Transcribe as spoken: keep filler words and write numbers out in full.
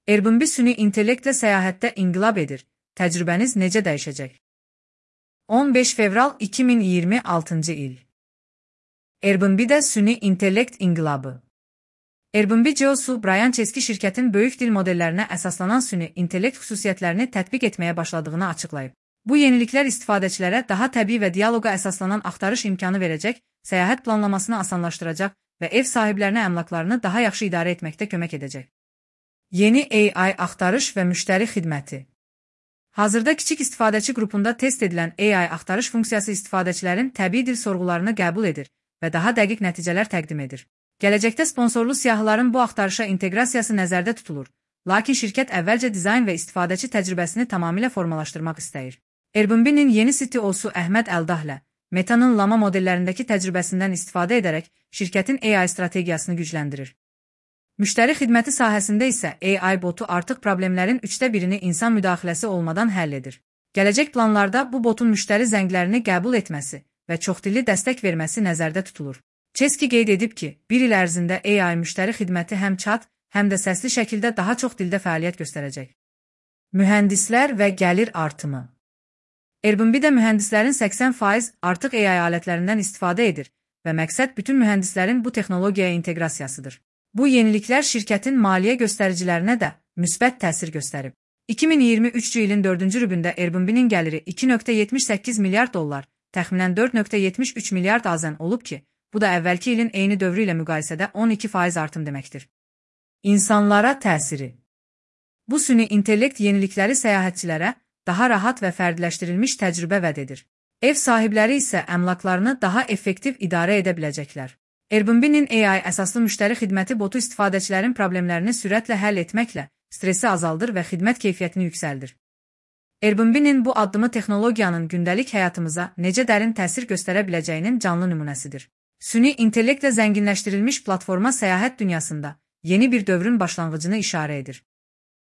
Airbnb süni intellektlə səyahətdə inqilab edir. Təcrübəniz necə dəyişəcək? on beş fevral iki min iyirmi altıncı il. Airbnb-də süni intellekt inqilabı. Airbnb C E O-su Brian Chesky şirkətin böyük dil modellərinə əsaslanan süni intellekt xüsusiyyətlərini tətbiq etməyə başladığını açıqlayıb. Bu yeniliklər istifadəçilərə daha təbii və dialoqa əsaslanan axtarış imkanı verəcək, səyahət planlamasını asanlaşdıracaq və ev sahiblərinə əmlaklarını daha yaxşı idarə etməkdə kömək edəcək. Yeni A I axtarış və müştəri xidməti. Hazırda kiçik istifadəçi qrupunda test edilən A I axtarış funksiyası istifadəçilərin təbii dil sorğularını qəbul edir və daha dəqiq nəticələr təqdim edir. Gələcəkdə sponsorlu siyahıların bu axtarışa inteqrasiyası nəzərdə tutulur, lakin şirkət əvvəlcə dizayn və istifadəçi təcrübəsini tamamilə formalaşdırmaq istəyir. Airbnb-nin yeni C T O-su Əhməd Əldahlə, Meta'nın Llama modellərindəki təcrübəsindən istifadə edərək şirkətin A I strategiyasını gücləndirir. Müştəri xidməti sahəsində isə A I botu artıq problemlərin üçdə birini insan müdaxiləsi olmadan həll edir. Gələcək planlarda bu botun müştəri zənglərini qəbul etməsi və çoxdilli dəstək verməsi nəzərdə tutulur. Chesky qeyd edib ki, bir il ərzində A I müştəri xidməti həm chat, həm də səsli şəkildə daha çox dildə fəaliyyət göstərəcək. Mühəndislər və gəlir artımı. Airbnb-də mühəndislərin səksən faizi artıq A I alətlərindən istifadə edir və məqsəd bütün mühəndislərin bu texnologiyaya inteqrasiyasıdır. Bu yeniliklər şirkətin maliyyə göstəricilərinə də müsbət təsir göstərib. iki min iyirmi üçüncü ilin dördüncü rübündə Airbnb-nin gəliri iki nöqtə yetmiş səkkiz milyard dollar, təxminən dörd nöqtə yetmiş üç milyard azən olub ki, bu da əvvəlki ilin eyni dövrü ilə müqayisədə on iki faiz artım deməkdir. İnsanlara təsiri. Bu süni intellekt yenilikləri səyahətçilərə daha rahat və fərdiləşdirilmiş təcrübə vəd edir. Ev sahibləri isə əmlaklarını daha effektiv idarə edə biləcəklər. Airbnb-nin A I əsaslı müştəri xidməti botu istifadəçilərin problemlərini sürətlə həll etməklə stressi azaldır və xidmət keyfiyyətini yüksəldir. Airbnb-nin bu addımı texnologiyanın gündəlik həyatımıza necə dərin təsir göstərə biləcəyinin canlı nümunəsidir. Süni intellektlə zənginləşdirilmiş platforma səyahət dünyasında yeni bir dövrün başlanğıcını işarə edir.